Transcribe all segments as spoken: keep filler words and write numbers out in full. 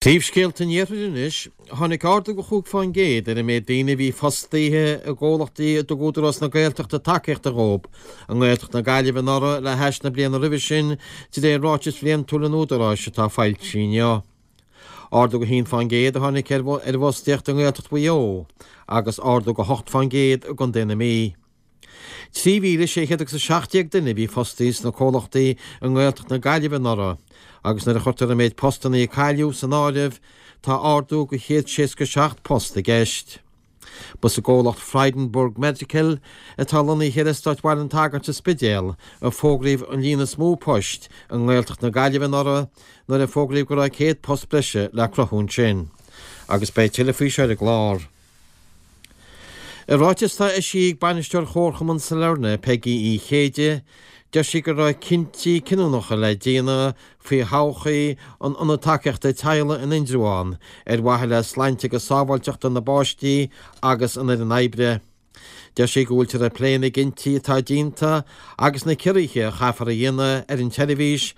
Príomhscéalta an Iarthair anois, tháinig ardú de chúig fán gcéad ar an méid daoine a bhí fostaithe i gcomhlachtaí a dtug Údarás na Gaeltachta tacaíocht dhóibh i nGaeltacht na Gaillimhe anuraidh le hais na bliana roimhe sin, de réir ráiteas bhliantúil an Údaráis atá foilsithe inniu. Ardú de haon fán gcéad a tháinig ar an bhfostaíocht i nGaeltacht Mhaigh Eo agus ardú de hocht fán gcéad i gContae na Mí. Trí mhíle sé chéad agus a seacht déag duine a bhí fostaithe sna comhlachtaí i nGaeltacht na Gaillimhe anuraidh agus nuair a chuirtear an méid postanna a cailleadh san áireamh, tá ardú de chéad seasca seacht post i gceist. Ba sa gcomhlacht Frydenberg Medical, atá lonnaithe ar Eastát Bhaile an tSagairt sa Spidéal, a fógraíodh an líon is mó poist i nGaeltacht na Gaillimhe anuraidh nuair a fógraíodh go raibh céad post breise le cruthú ansin. Agus beidh tuilleadh faoi seo ar an gclár. I ráiteas atá eisithe ag bainisteoir Chomharchumann Sailearna, Peigí Uí Chéide, deir sí go raibh cinntí cinniúnacha le déanamh faoi thodhchaí an Ionaid Tacaíochta Teaghlaigh in Indreabhán ar mhaithe le sláinte agus sábháilteacht na bpáistí agus an fhoireann oibre. Deir sí go bhfuiltear ag plé na gcinntí atá déanta agus na ciorruithe a chaithfear a dhéanamh ar an tseirbhís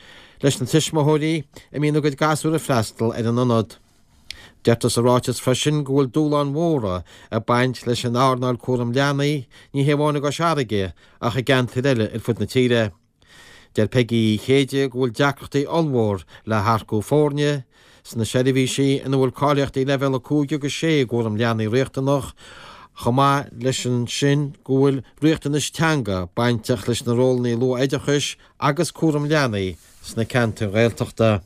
leis na tuismitheoirí a mbíonn a gcuid gasúr ag freastal ar an ionad. Deirtear sa ráiteas freisin go bhfuil dúshláin mhóra ag baint leis an earnáil cúram leanaí, ní hé amháin i gCois Fharraige ach i gceantair eile ar fud na tíre. Deir Peigí Uí Chéide go bhfuil deacrachtaí ollmhór le hearcú foirne sna seirbhísí ina bhfuil cáilíochtaí leibhéal a cúig agus sé i gcúram leanaí riachtanach, chomh maith leis sin go bhfuil riachtanais teanga bainteach leis na rólanna luath-oideachais agus cúram leanaí sna ceantair Ghaeltachta.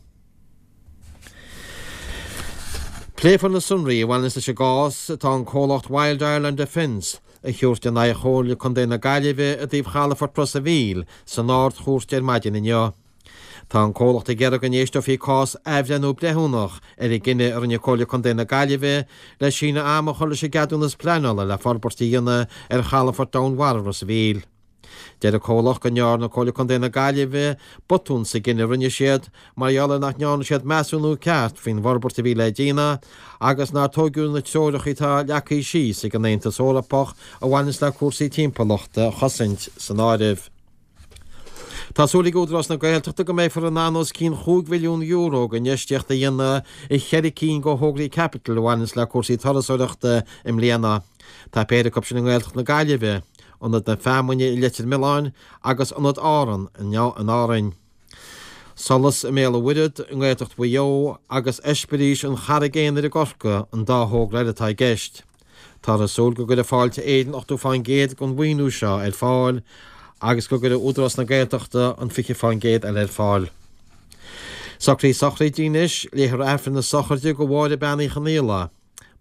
Pléifear na sonraí a bhaineanns leis an gcás atá an comhlacht Wild Ireland Defence a thabhairt in aghaidh Chomhairle Contae na Gaillimhe i dtaobh chalafort Ros a' Mhíl san Ard-Chúirt ar maidin inniu. Tá an comhlacht ag iarraidh go n-éisteofaí cás athbhreithniú breithiúnach ar an gcinneadh a rinne Comhairle Contae na Gaillimhe le síneadh ama a chur leis an gceadúnas pleanála le forbairt a dhéanamh ar chalafort Domhainmhara Ros a' Mhíl. Deir an comhlacht go ndearna Comhairle Contae na Gaillimhe botún sa gcinneadh a rinne siad mar gheall ar nach ndearna siad measúnú ceart faoin bhforbairt a bhí le déanamh agus nár tógadh na treoracha atá leagtha síos ag an Aontas Eorpach a bhaineanns le cúrsaí timpeallachta a chosaint san áireamh. Tá súil ag Údarás na Gaeltachta go mbeifear in ann os cionn chúig mhilliún euro d'infheistíocht a dhéanamh i cheithre cinn de thograí caipitil a bhaineanns le cúrsaí turasóireachta i mbliana. Tá péire acu sin i nGaeltacht na Gaillimhe, Ionad na Feamainne i Leitir Mealláin agus Ionad Árann in Árainn. Solas i mBéal an Mhuirthead i nGaeltacht Mhaigh Eo agus Eispéiris an Charraig Aonair i gCorcaigh an dá thogra eile atá i gceist. Táthar ag súil go gcuirfidh Fáilte Éireann ochtó fán gcéad den mhaoiniú seo ar fáil agus go gcuirfidh Údarás na Gaeltachta an fiche fán gcéad eile ar fáil. Socruithe sochraide anois, léifear Aifreann na sochraide do Mháire Bean Uí Chonaola.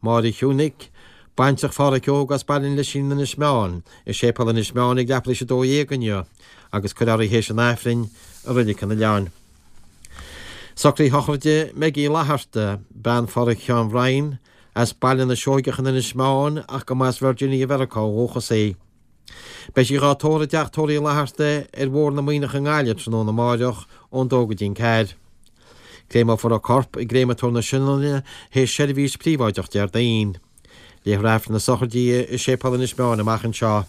Máire Shiúnic, baintreach Phádhraic Óg as Baile an Lisín in Inis Meáin, i Séipéal Inis Meáin ag leathuair tar éis a dó dhéag inniu agus cuirfear í théis an Aifrinn i Reilig an Oileáin. Socruithe sochraide Meggie Uí Fhlatharta, bean Phádhraic Sheáin Bhriain, as Baile na Seoigeach in Inis Meáin ach go mba as Virginia Mheiriceá ó dhúchas í. Beidh sí dhá tórramh i dteach tórraimh Uí Fhlatharta ar Bhóthar na Muimhneach i nGaillimh tráthnóna amáireach ón dó go dtí an ceathair. Créameofar a corp i gCréamatóir na Sionainne théis seirbhís príobháideach Déardaoin. Léifear Aifreann na sochraide di i Séipéal Inis Meáin amach anseo.